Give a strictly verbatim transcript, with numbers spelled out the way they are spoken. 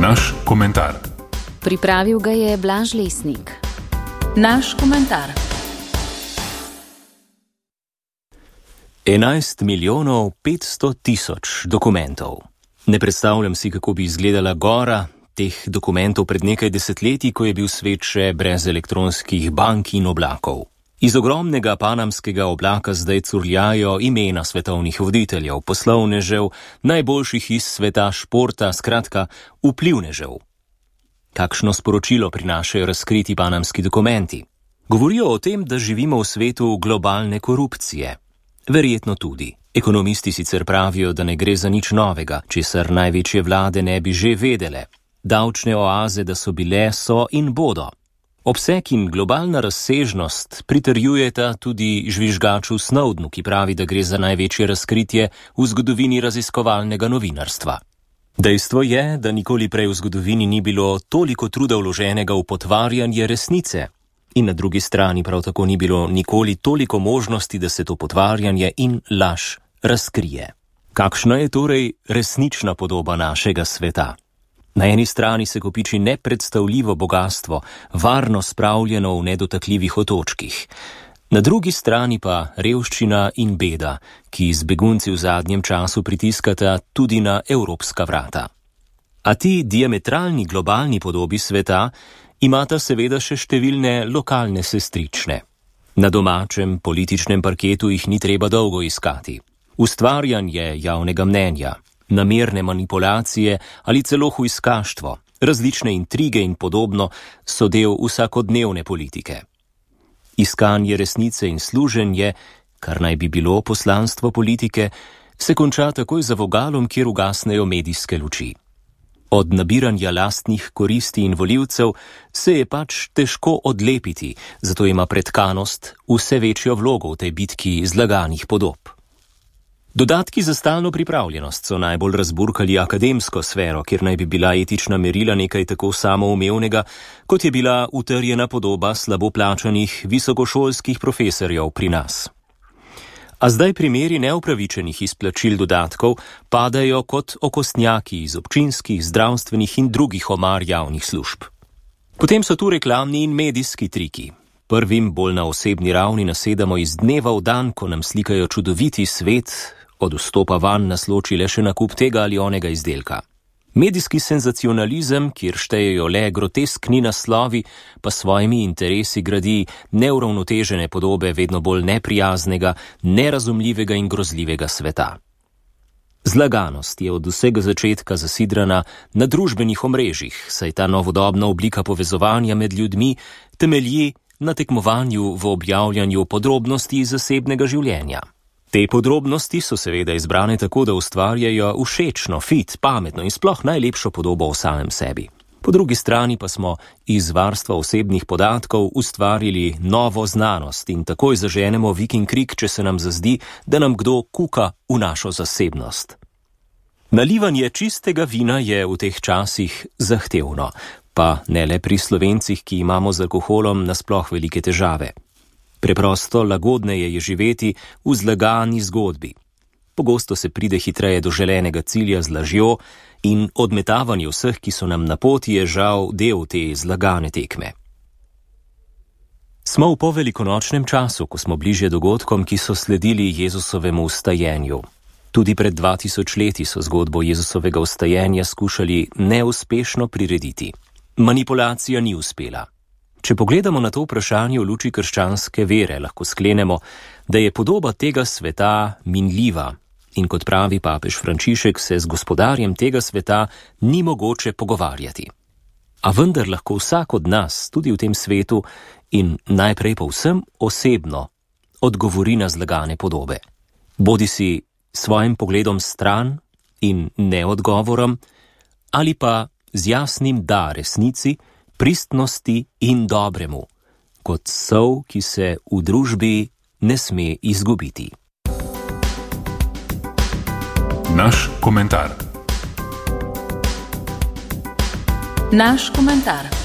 Naš komentar. Pripravil ga je Blaž Lesnik. Naš komentar. enajst milijonov petsto tisoč dokumentov. Ne predstavljam si, kako bi izgledala gora teh dokumentov pred nekaj desetletji, ko je bil svet še brez elektronskih bank in oblakov. Iz ogromnega panamskega oblaka zdaj curljajo imena svetovnih voditeljev, poslovnežev, najboljših iz sveta športa, skratka vplivnežev. Kakšno sporočilo prinašajo razkriti panamski dokumenti? Govorijo o tem, da živimo v svetu globalne korupcije. Verjetno tudi. Ekonomisti sicer pravijo, da ne gre za nič novega, česar največje vlade ne bi že vedele. Davčne oaze, da so bile, so in bodo. Obseg in globalna razsežnost pritrjujeta tudi žvižgaču Snowdenu, ki pravi, da gre za največje razkritje v zgodovini raziskovalnega novinarstva. Dejstvo je, da nikoli prej v zgodovini ni bilo toliko truda vloženega v potvarjanje resnice. In na drugi strani prav tako ni bilo nikoli toliko možnosti, da se to potvarjanje in laž razkrije. Kakšna je torej resnična podoba našega sveta? Na eni strani se kopiči nepredstavljivo bogastvo, varno spravljeno v nedotakljivih otočkih. Na drugi strani pa revščina in beda, ki z begunci v zadnjem času pritiskata tudi na evropska vrata. A ti diametralni globalni podobi sveta imata seveda še številne lokalne sestrične. Na domačem političnem parketu jih ni treba dolgo iskati. Ustvarjanje javnega mnenja, namerne manipulacije ali celo hujskaštvo, različne intrige in podobno so del vsakodnevne politike. Iskanje resnice in služenje, kar naj bi bilo poslanstvo politike, se konča takoj za vogalom, kjer ugasnejo medijske luči. Od nabiranja lastnih koristi in volivcev se je pač težko odlepiti, zato ima pretkanost vse večjo vlogo v tej bitki zlaganih podob. Dodatki za stalno pripravljenost so najbolj razburkali akademsko sfero, kjer naj bi bila etična merila nekaj tako samoumevnega, kot je bila utrjena podoba slabo plačanih visokošolskih profesorjev pri nas. A zdaj primeri neupravičenih izplačil dodatkov padajo kot okostnjaki iz občinskih, zdravstvenih in drugih omar javnih služb. Potem so tu reklamni in medijski triki. Prvim bolj na osebni ravni nasedamo iz dneva v dan, ko nam slikajo čudoviti svet, od vstopa van nas loči le še nakup tega ali onega izdelka. Medijski senzacionalizem, kjer štejejo le groteskni naslovi, pa svojimi interesi gradi neuravnotežene podobe vedno bolj neprijaznega, nerazumljivega in grozljivega sveta. Zlaganost je od vsega začetka zasidrana na družbenih omrežjih, saj ta novodobna oblika povezovanja med ljudmi temelji na tekmovanju v objavljanju podrobnosti zasebnega življenja. Te podrobnosti so seveda izbrane tako, da ustvarjajo všečno, fit, pametno in sploh najlepšo podobo o samem sebi. Po drugi strani pa smo iz varstva osebnih podatkov ustvarili novo znanost in takoj zaženemo vik in krik, če se nam zazdi, da nam kdo kuka v našo zasebnost. Nalivanje čistega vina je v teh časih zahtevno, pa ne le pri Slovencih, ki imamo z alkoholom nasploh velike težave. Preprosto lagodneje je živeti v zlagani zgodbi. Pogosto se pride hitreje do želenega cilja z lažjo in odmetavanje vseh, ki so nam na poti, je žal del te zlagane tekme. Smo v povelikonočnem času, ko smo bližje dogodkom, ki so sledili Jezusovemu vstajenju. Tudi pred dva tisoč leti so zgodbo Jezusovega vstajenja skušali neuspešno prirediti. Manipulacija ni uspela. Če pogledamo na to vprašanje v luči krščanske vere, lahko sklenemo, da je podoba tega sveta minljiva in kot pravi papež Frančišek, se z gospodarjem tega sveta ni mogoče pogovarjati. A vendar lahko vsak od nas, tudi v tem svetu in najprej povsem osebno, odgovori na zlagane podobe. Bodi si svojim pogledom stran in neodgovorom, ali pa z jasnim da resnici, pristnosti in dobremu, kot sol, ki se v družbi ne sme izgubiti. Naš komentar. Naš komentar.